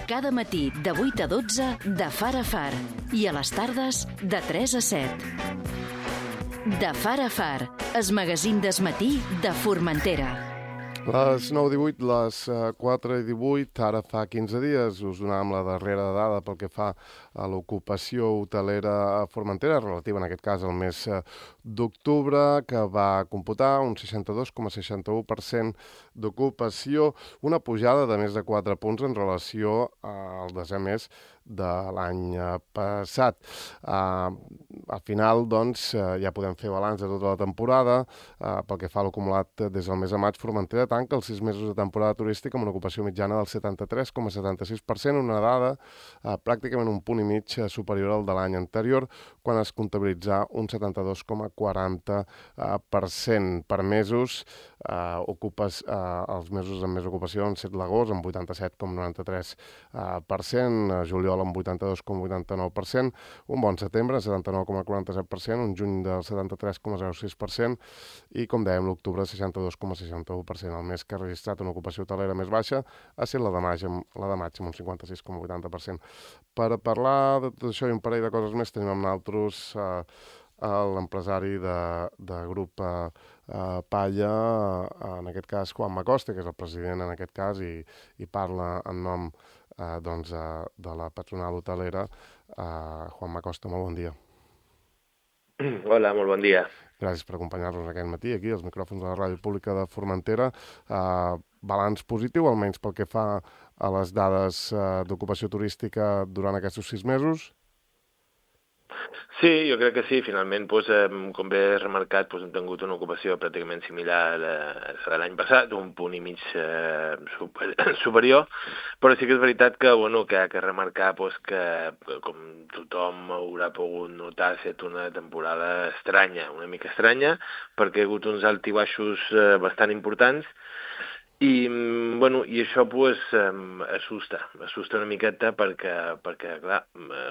Cada matí de 8 a 12 de Far a Far i a les tardes de 3 a 7. De Far a Far, el magazín del matí de Formentera. Les 9:18, les 4:18, ara fa 15 dies us donàvem la darrera dada pel que fa a l'ocupació hotelera a Formentera, relativa en aquest cas al mes d'octubre, que va computar un 62,61% d'ocupació, una pujada de més de 4 punts en relació al desè mes de l'any passat. Al final, doncs, ja podem fer balanç de tota la temporada. Pel que fa a l'acumulat des del mes de maig, Formentera tanca els 6 mesos de temporada turística amb una ocupació mitjana del 73,76%, una dada pràcticament un punt i mig superior al de l'any anterior, quan es comptabilitzà un 72,40%. Per mesos, els mesos amb més ocupació han set l'agost, amb 87,93%, juliol amb 82,89%, un bon setembre, 79,47%, un juny del 73,06% i, com dèiem, l'octubre, 62,61%. El mes que ha registrat una ocupació hotelera més baixa ha estat la de maig, amb un 56,80%. Per parlar de tot això i un parell de coses més, tenim amb nosaltres l'empresari de grup Palla, en aquest cas Juan Macoste, que és el president en aquest cas i parla en nom de la patronal hotelera. Juan Macoste, molt bon dia. Hola, molt bon dia. Gràcies per acompanyar-nos aquest matí aquí, als micròfons de la Ràdio Pública de Formentera. Balanç positiu, almenys pel que fa a les dades d'ocupació turística durant aquests 6 mesos? Sí, jo crec que sí. Finalment, com bé he remarcat, hem tingut una ocupació pràcticament similar a la l'any passat, un punt i mig superior, però sí que és veritat que ha que remarcar que, com tothom haurà pogut notar, ha estat una temporada estranya, una mica estranya, perquè hi ha hagut uns alts i baixos bastant importants, i això assusta una miqueta perquè clar,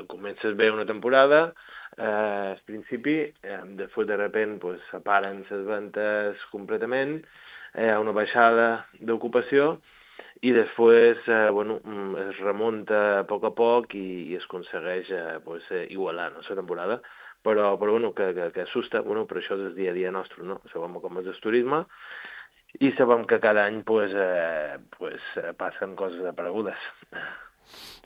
comences bé una temporada, al principi, després de sobte separen les ventes completament, hi ha una baixada d'ocupació i després es remunta a poc i es aconsegueix igualar la temporada, però que assusta, però això és el dia a dia nostre, no? Sabem com és el turisme i sabem que cada any passen coses aparegudes.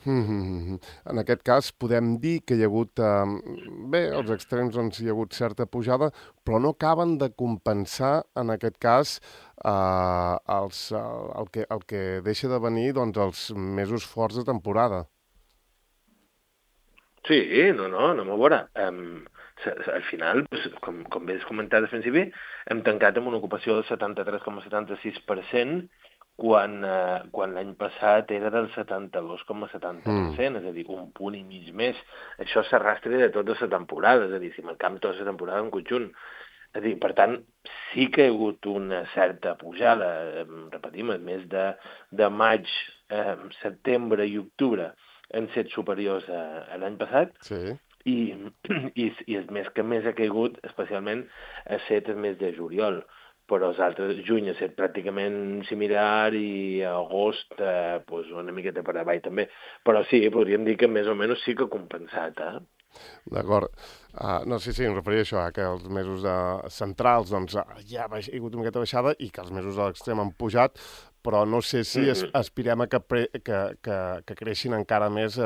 En aquest cas podem dir que hi ha hagut, als extrems hi ha hagut certa pujada, però no acaben de compensar en aquest cas el que deixa de venir els mesos forts de temporada. Sí, no anem a veure. Al final, com bé has comentat al principi, hem tancat amb una ocupació del 73,76%, quan l'any passat era del 72,70%, és a dir, un punt i mig més. Això s'arrastra de tota la temporada, és a dir, si marcam tota la temporada en conjunt. És a dir, per tant, sí que hi ha hagut una certa pujada, repetim, el mes de maig, setembre i octubre han estat superiors a l'any passat, sí. I el mes que més ha caigut, especialment, ha estat el mes de juliol, però els altres, juny ha estat pràcticament similar i agost una miqueta per avall també. Però sí, podríem dir que més o menys sí que ha compensat, D'acord. Sí, em referia a això, que els mesos centrals ja ha hagut una miqueta baixada i que els mesos a l'extrem han pujat, però no sé si aspirem a que creixin encara més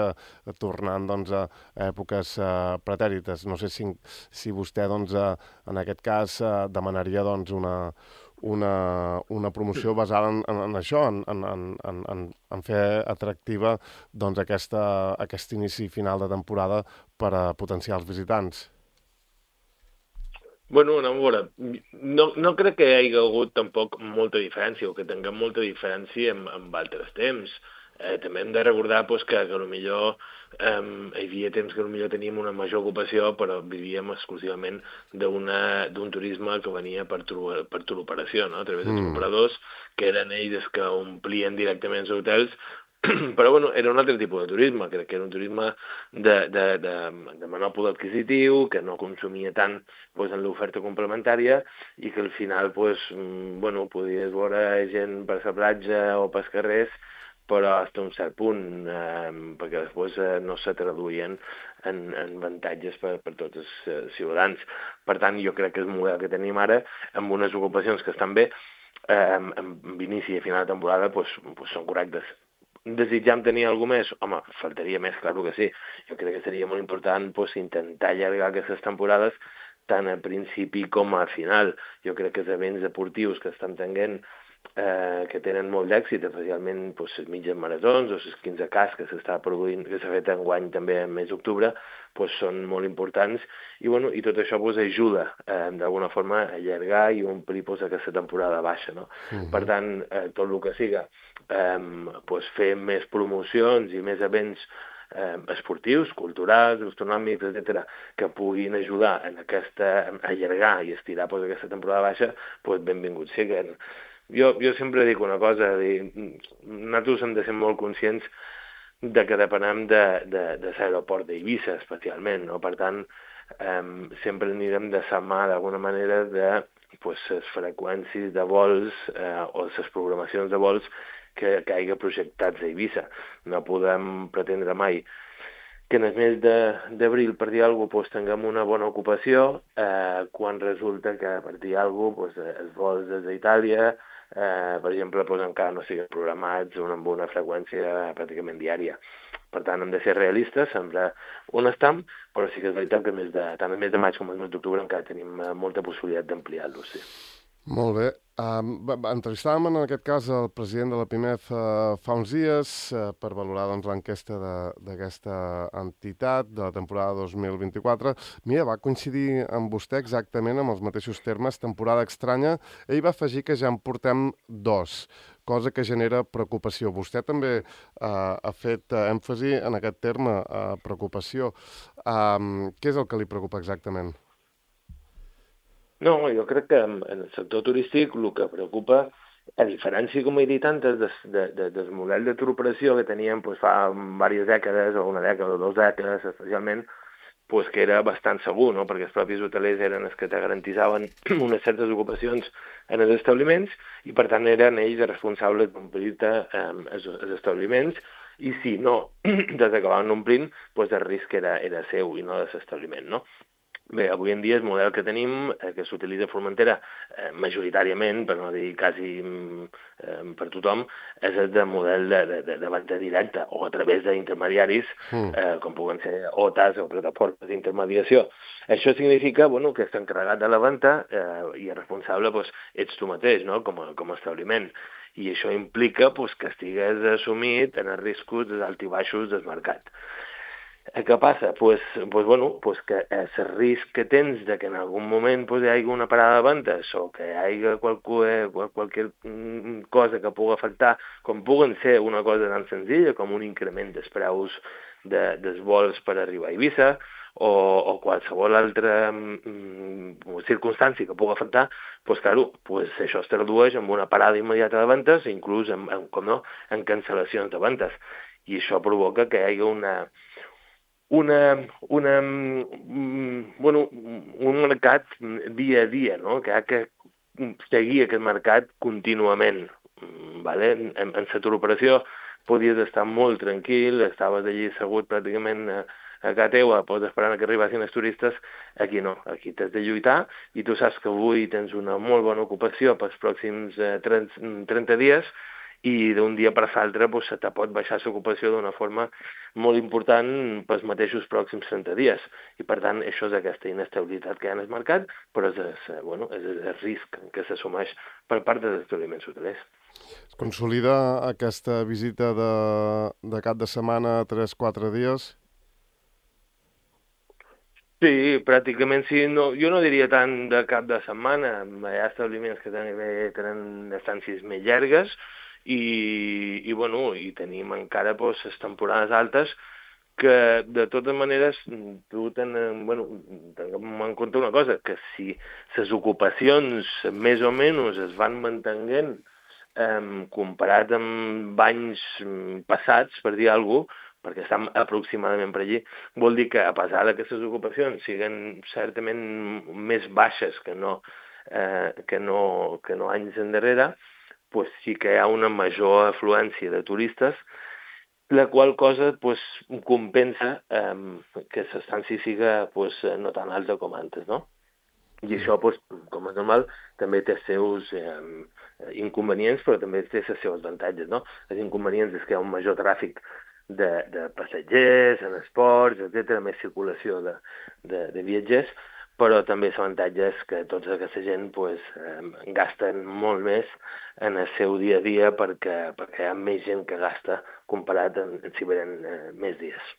tornant a èpoques pretèrites. No sé si vostè en aquest cas demanaria una promoció basada en això, en fer atractiva aquest inici final de temporada per a potenciar els visitants. Anem a veure. No crec que hi hagi hagut tampoc molta diferència o que tinguem molta diferència amb altres temps. També hem de recordar que potser hi havia temps que potser teníem una major ocupació, però vivíem exclusivament d'un turisme que venia per turoperació, no? A través dels operadors, que eren ells que omplien directament els hotels, però era un altre tipus de turisme, crec que era un turisme de menor poder adquisitiu, que no consumia tant en l'oferta complementària i que al final podies veure gent per la platja o pels carrers però fins a un cert punt, perquè després no se traduïen en avantatges per tots els ciutadans. Per tant, jo crec que el model que tenim ara, amb unes ocupacions que estan bé, amb inici i a final de temporada, són correctes. Desitjam tenir alguna més? Home, faltaria més, clar que sí. Jo crec que seria molt important intentar allargar aquestes temporades tant a principi com a final. Jo crec que els events deportius que estan tenint, que tenen molt d'èxit, especialment les mitges maratons o les 15K que s'està produint, que s'ha fet enguany també al mes d'octubre, són molt importants i tot això ajuda d'alguna forma a allargar i omplir aquesta temporada baixa, no? Per tant, tot el que siga fer més promocions i més events esportius, culturals, gastronòmics, etc., que puguin ajudar a allargar i estirar aquesta temporada baixa, benvingut sigui. Jo sempre dic una cosa, nosaltres hem de ser molt conscients de que depenem de l'aeroport d'Eivissa, especialment, no? Per tant, sempre anirem de la mà, d'alguna manera, de les freqüències de vols o les programacions de vols que hagi projectats a Eivissa. No podem pretendre mai que en el mes d'abril, per dir alguna cosa, tinguem una bona ocupació, quan resulta que, per dir alguna cosa, els vols des d'Itàlia, per exemple, encara no siguin programats amb una freqüència pràcticament diària. Per tant, hem de ser realistes, sempre on estem, però sí que és veritat que tant el mes de maig com el mes d'octubre encara tenim molta possibilitat d'ampliar-los, sí. Molt bé. Entrevistàvem en aquest cas el president de la PIMEF fa uns dies per valorar l'enquesta d'aquesta entitat de la temporada 2024. Mira, va coincidir amb vostè exactament amb els mateixos termes, temporada estranya. Ell va afegir que ja en portem 2, cosa que genera preocupació. Vostè també ha fet èmfasi en aquest terme, preocupació. Què és el que li preocupa exactament? No, jo crec que en el sector turístic el que preocupa, a diferència, com he dit antes, del model de turoperació que teníem fa diverses dècades, o una dècada o 2 dècades especialment, que era bastant segur, no? Perquè els propis hotelers eren els que te garantissaven unes certes ocupacions en els establiments i, per tant, eren ells els responsables d'omplir-te els establiments i si no t'acabaven omplint, el risc era seu i no de l'establiment, no? Bé, avui en dia el model que tenim, que s'utilitza a Formentera majoritàriament, per no dir quasi per tothom, és el de model de venda directa o a través d'intermediaris, com puguen ser OTAs o plataformes d'intermediació. Això significa que està encarregat de la venda i el responsable ets tu mateix, no? Com a establiment. I això implica que estigués assumit en els riscos dels alts i baixos del mercat. Què passa? Que el risc que tens de que en algun moment hi hagi una parada de ventes o que hi hagi qualque cosa que pugui afectar, com puguen ser una cosa tan senzilla com un increment dels preus dels vols per arribar a Eivissa o qualsevol altra circumstància que pugui afectar, això es tradueix en una parada immediata de ventes, inclús en cancel·lacions de ventes. I això provoca que hi hagi un mercat dia a dia, no? Que ha de seguir aquest mercat contínuament. Vale? En la turoperació podies estar molt tranquil, estaves allí assegut pràcticament a casa teva, esperant que arribessin els turistes. Aquí no, aquí t'has de lluitar i tu saps que avui tens una molt bona ocupació pels pròxims 30 dies i d'un dia per l'altre se te pot baixar l'ocupació d'una forma molt important pels mateixos pròxims 30 dies. I, per tant, això és aquesta inestabilitat que hi ha en el mercat, però és el risc que s'assumeix per part dels establiments hotelers. Es consolida aquesta visita de cap de setmana, 3-4 dies? Sí, pràcticament sí. No, jo no diria tant de cap de setmana. Hi ha establiments que tenen estàncies més llargues, i tenim encara les temporades altes que, de totes maneres, tinguem en compte una cosa, que si les ocupacions més o menys es van mantenint comparat amb anys passats, per dir alguna cosa, perquè estem aproximadament per allí, vol dir que, a pesar que aquestes ocupacions siguin certament més baixes que no anys endarrere, pues, sí que hi ha una major afluència de turistes, la qual cosa pues, compensa que l'estància siga pues, no tan alta com antes, no? I això, pues, com és normal, també té els seus inconvenients, però també té els seus avantatges, no? Els inconvenients és que hi ha un major tràfic de passatgers, en esports, etc., més circulació de viatgers, però també l'avantatge és que tota aquesta gent pues, gasten molt més en el seu dia a dia perquè hi ha més gent que gasta comparat en si venen més dies.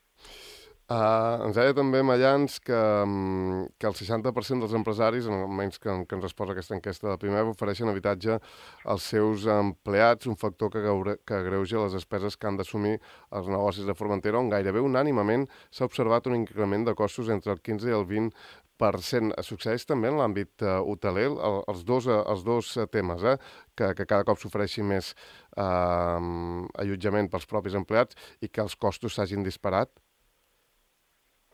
Ens deia també Mallans que el 60% dels empresaris, almenys que ens resposa aquesta enquesta de primer, ofereixen habitatge als seus empleats, un factor que agreuja les despeses que han d'assumir els negocis de Formentera, on gairebé unànimament s'ha observat un increment de costos entre el 15 i el 20%. Succeeix també en l'àmbit hoteler, els dos temes, que cada cop s'ofereixi més allotjament pels propis empleats i que els costos s'hagin disparat?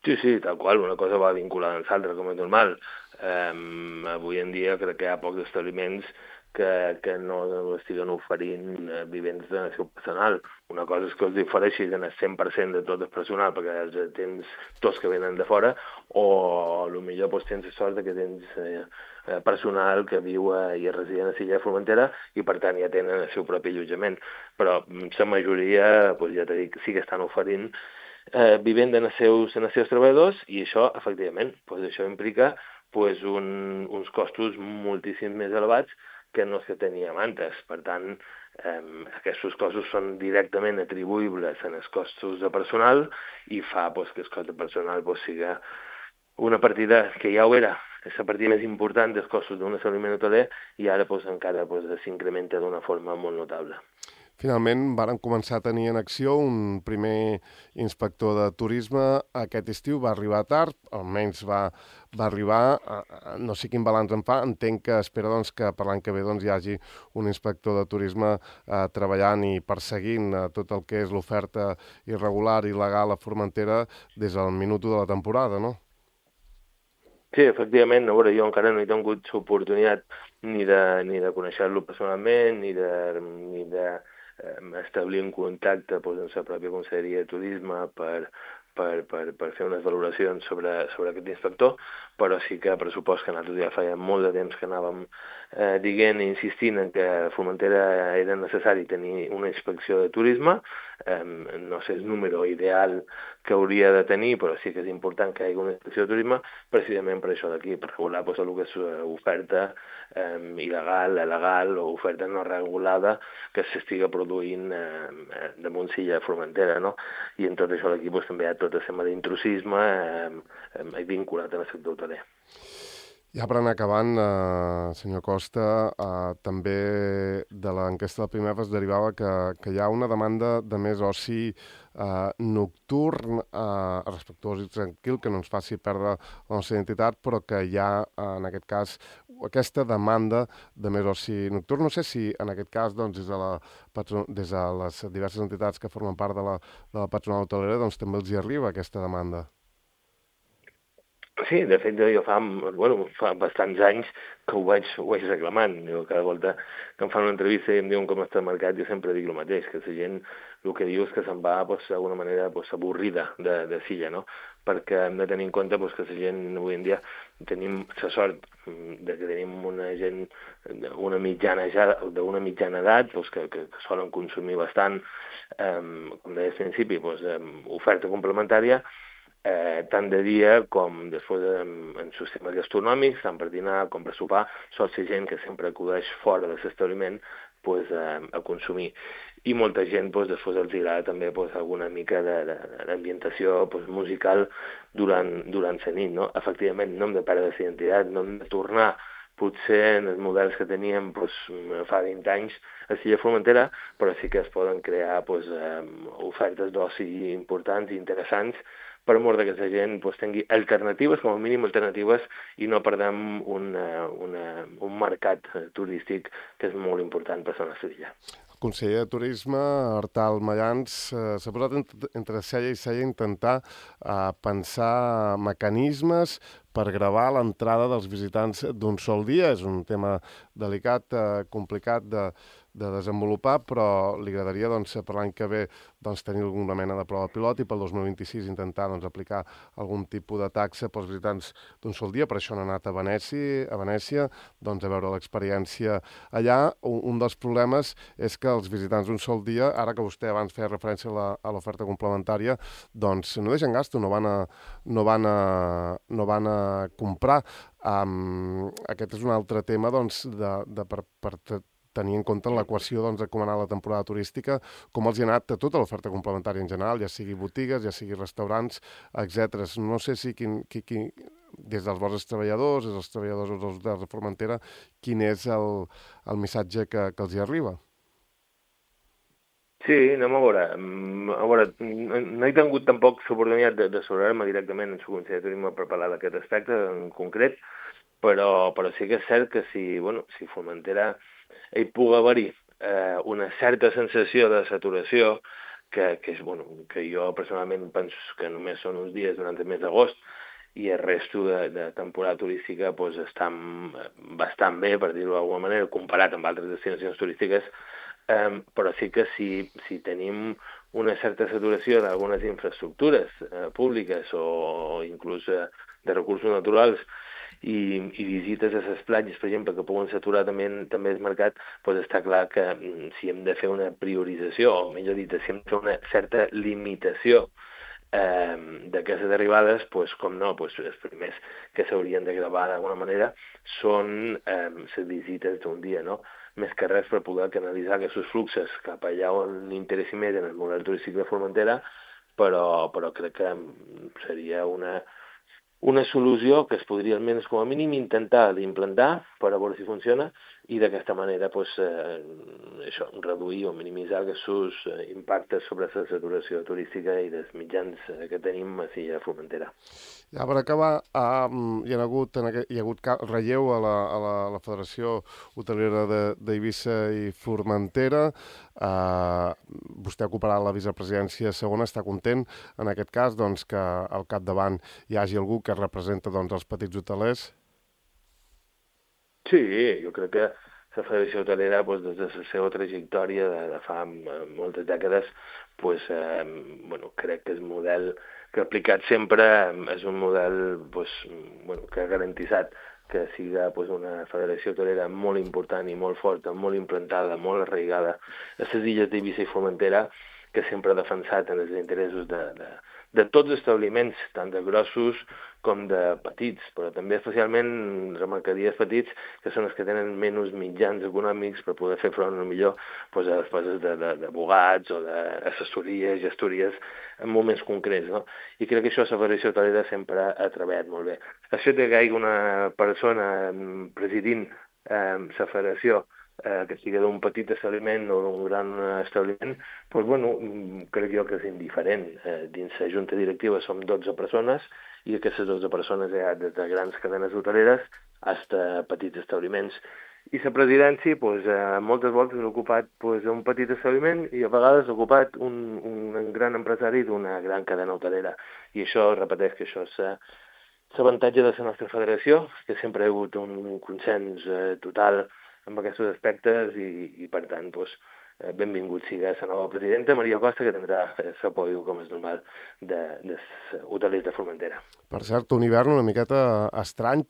Sí, tal qual, una cosa va vinculada amb l'altra, com és normal. Avui en dia crec que hi ha pocs establiments que no estiguen oferint vivendes de seu personal. Una cosa és que els ofereixis en el 100% de tot el personal, perquè els tens tots que venen de fora, o potser pues, tens la sort que tens personal que viu i es resideix a l'illa de Formentera i per tant ja tenen el seu propi allotjament. Però la majoria, pues, ja t'he dit, sí que estan oferint vivenda en els seus treballadors i això, efectivament, pues, això implica pues, uns costos moltíssim més elevats que no se teníem antes. Per tant, aquests costos són directament atribuïbles en els costos de personal i fa pues, que el cost de personal pues, siga una partida que ja ho era, és la partida més important dels costos d'un establiment hoteler i ara pues, encara pues, s'incrementa d'una forma molt notable. Finalment, varen començar a tenir en acció un primer inspector de turisme. Aquest estiu va arribar tard, almenys va arribar, no sé quin balanç en fa, entenc que espera doncs, que per l'any que ve doncs, hi hagi un inspector de turisme treballant i perseguint tot el que és l'oferta irregular i il·legal a Formentera des del minut de la temporada, no? Sí, efectivament, a veure, jo encara no he tingut l'oportunitat ni de conèixer-lo personalment, ni de establir un contacte pues, amb la pròpia Conselleria de Turisme per fer unes valoracions sobre aquest inspector, però sí que pressupost que nosaltres ja feia molt de temps que anàvem dient i insistint en que a Formentera era necessari tenir una inspecció de turisme. No sé el número ideal que hauria de tenir, però sí que és important que hi hagi una inspecció de turisme precisament per això d'aquí, per regular pues, el que és oferta il·legal, legal o oferta no regulada que s'estiga produint damunt l'illa de Formentera, no? I en tot això d'aquí pues, també hi ha tot el tema d'intrusisme vinculat al sector hoteler. Ja per anar acabant, senyor Costa, també de l'enquesta del primer es derivava que hi ha una demanda de més oci nocturn, respectuós i tranquil, que no ens faci perdre la nostra identitat, però que hi ha, en aquest cas, aquesta demanda de més oci nocturn. No sé si, en aquest cas, doncs, des de les diverses entitats que formen part de la patronal hotelera, doncs, també els hi arriba aquesta demanda. Sí, de fet, jo fa bastants anys que ho vaig reclamant. Jo cada volta que em fan una entrevista i em diuen com està el mercat, jo sempre dic el mateix, que la gent el que diu és que se'n va d'alguna manera avorrida de silla, no? Perquè hem de tenir en compte que la gent avui en dia tenim la sort de que tenim una gent d'una mitjana edat que solen consumir bastant, com deia al principi, oferta complementària, tant de dia com després en sistemes gastronòmics, tant per dinar com per sopar, sol ser gent que sempre acudeix fora de l'establiment a consumir. I molta gent després els agrada també alguna mica d'ambientació musical durant la nit, no? Efectivament, no hem de perdre la identitat, no hem de tornar potser en els models que teníem fa 20 anys a l'illa de Formentera, però sí que es poden crear ofertes d'oci importants i interessants per mort que la gent tingui alternatives, com a mínim alternatives, i no perdem un mercat turístic que és molt important per la nostra illa. El conseller de Turisme, Artal Mallans, s'ha posat entre cella i cella intentar pensar mecanismes per gravar l'entrada dels visitants d'un sol dia. És un tema delicat, complicat desenvolupar, però li agradaria doncs, per l'any que ve doncs, tenir alguna mena de prova pilot i pel 2026 intentar doncs, aplicar algun tipus de taxa pels visitants d'un sol dia. Per això han anat a Venècia doncs, a veure l'experiència allà. Un dels problemes és que els visitants d'un sol dia, ara que vostè abans feia referència a l'oferta complementària, doncs no deixen gasto, no van a comprar. Aquest és un altre tema doncs, per tenir en compte l'equació doncs, de com anar la temporada turística, com els hi ha anat a tota l'oferta complementària en general, ja sigui botigues, ja sigui restaurants, etc. No sé si des dels vostres treballadors, des dels treballadors dels hotels de Formentera, quin és el missatge que els hi arriba. Sí, anem a veure. A veure, no he tingut tampoc l'oportunitat d'asseurar-me directament en el Consell de Turisme per parlar d'aquest aspecte en concret, però sí que és cert que si Formentera hi pugui haver-hi una certa sensació de saturació, que jo personalment penso que només són uns dies durant el mes d'agost, i el resto de temporada turística doncs, estan bastant bé, per dir-ho d'alguna manera, comparat amb altres destinacions turístiques, però sí que si tenim una certa saturació d'algunes infraestructures públiques o inclús de recursos naturals i visites a les platges, per exemple, que poden saturar també el mercat, doncs està clar que si hem de fer una priorització, o millor dit, si hem de fer una certa limitació d'aquestes arribades, doncs, com no, doncs, els primers que s'haurien de gravar d'alguna manera són les visites d'un dia, no? Més que res per poder canalitzar aquests fluxos cap allà on interessi més en el model turístic de Formentera, però crec que seria una solució que es podria almenys com a mínim intentar d'implantar per a veure si funciona i d'aquesta manera reduir o minimitzar aquests impactes sobre la saturació turística i dels mitjans que tenim a Silla Formentera. Ja per acabar, hi ha hagut relleu a la Federació Hotelera d'Eivissa i Formentera. Vostè ocuparà la vicepresidència segona. Està content, en aquest cas, doncs, que al capdavant hi hagi algú que representa doncs, els petits hotelers? Sí, jo crec que la Federació Hotelera, des de la seva trajectòria de fa moltes dècades, crec que el model que ha aplicat sempre és un model que ha garantitzat que sigui una federació hotelera molt important i molt forta, molt implantada, molt arraigada a les illes d'Eivissa i Formentera, que sempre ha defensat en els interessos de tots els establiments, tant de grossos com de petits, però també especialment remarcaria els petits, que són els que tenen menys mitjans econòmics per poder fer front millor a les coses d'abogats o d'assessories, gestories, en moments concrets, no? I crec que això la Federació Hotelera sempre ha treballat molt bé. El fet que hi hagi una persona presidint la federació que sigui d'un petit establiment o d'un gran establiment, crec jo que és indiferent. Dins la junta directiva som 12 persones i aquestes 12 persones hi ha des de grans cadenes hoteleres fins a petits establiments. I la presidència moltes voltes ha ocupat un petit establiment i a vegades ha ocupat un gran empresari d'una gran cadena hotelera. I això, repeteix que això és l'avantatge de la nostra federació, que sempre ha hagut un consens total amb aquests aspectes i per tant, benvingut sigui la nova presidenta, Maria Costa, que tindrà l'apoyo, com és normal, dels hotelers de Formentera. Per cert, un hivern una miqueta estrany,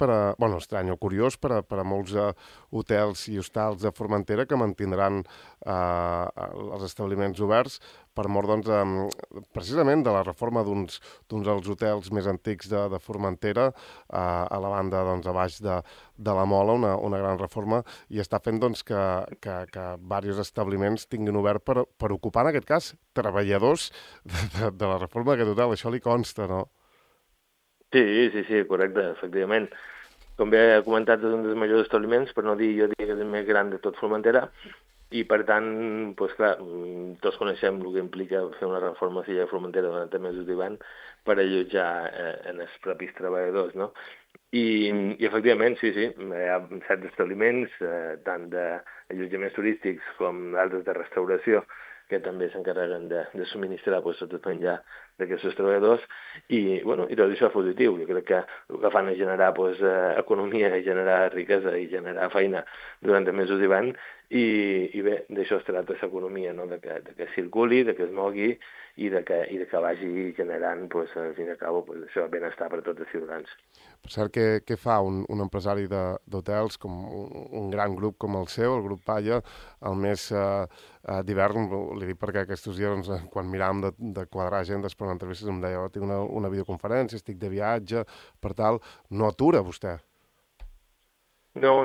estrany o curiós per a molts hotels i hostals de Formentera que mantindran els establiments oberts per mort, precisament, de la reforma d'uns dels hotels més antics de Formentera, a la banda, a baix de la Mola, una gran reforma, i està fent que diversos establiments tinguin obert per ocupar, en aquest cas, treballadors de la reforma d'aquest hotel. Això li consta, no? Sí, correcte, efectivament. Com bé he comentat, és un dels majors establiments, per no dir, jo diria que és el més gran de tot Formentera, i per tant, clar, tots coneixem el que implica fer una reforma a Silla de Formentera durant els mesos d'hivern per allotjar en els propis treballadors, no? I efectivament, sí, hi ha certs establiments, tant d'allotjaments turístics com d'altres de restauració, que també s'encarreguen de subministrar tot el menjar d'aquests treballadors i tot això és positiu. Jo crec que el que fan és generar economia, generar riquesa i generar feina durant els mesos d'hivern i bé, d'això es tracta l'economia, no? de que circuli, de que es mogui i de que vagi generant, pues, al fin i al cabo, pues, això, benestar per tots els ciutadans. Per cert, què fa un empresari d'hotels, com un gran grup com el seu, el grup Palla, el mes d'hivern? Li dic perquè aquests dies, doncs, quan miràvem de quadrar agendes per una entrevista, em deia, tinc una videoconferència, estic de viatge, per tal, no atura vostè? No.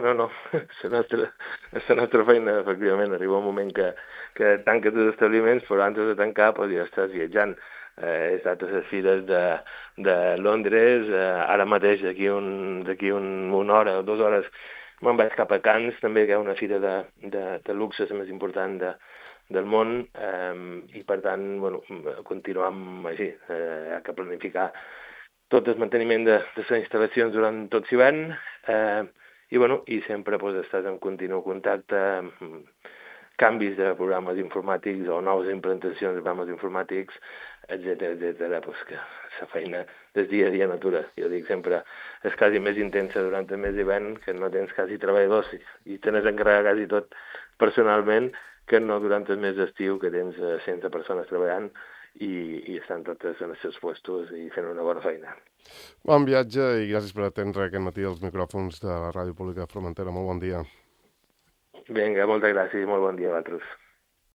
És la nostra feina, efectivament. Arriba un moment que tanques els establiments, però antes de tancar pues, ja estàs viatjant. He estat a les fires de Londres, ara mateix d'aquí una hora o 2 hores me'n vaig cap a Cannes, també, que hi ha una fira de luxe, la més important del món, i per tant, bueno, continuam així. Hi ha que planificar tot el manteniment de les instal·lacions durant tot l'hivern, i sempre pues, estàs en continu contacte amb canvis de programes informàtics o noves implantacions de programes informàtics, etcètera, pues, que la feina del dia a dia natura. Jo dic sempre, és quasi més intensa durant el mes d'hivern, que no tens quasi treballadors i tens encarregat quasi tot personalment, que no durant el mes d'estiu, que tens 100 persones treballant i estan totes en els seus puestos i fent una bona feina. Bon viatge i gràcies per atendre aquest matí els micròfons de la Ràdio Pública de Formentera. Molt bon dia. Vinga, moltes gràcies i molt bon dia a vosaltres.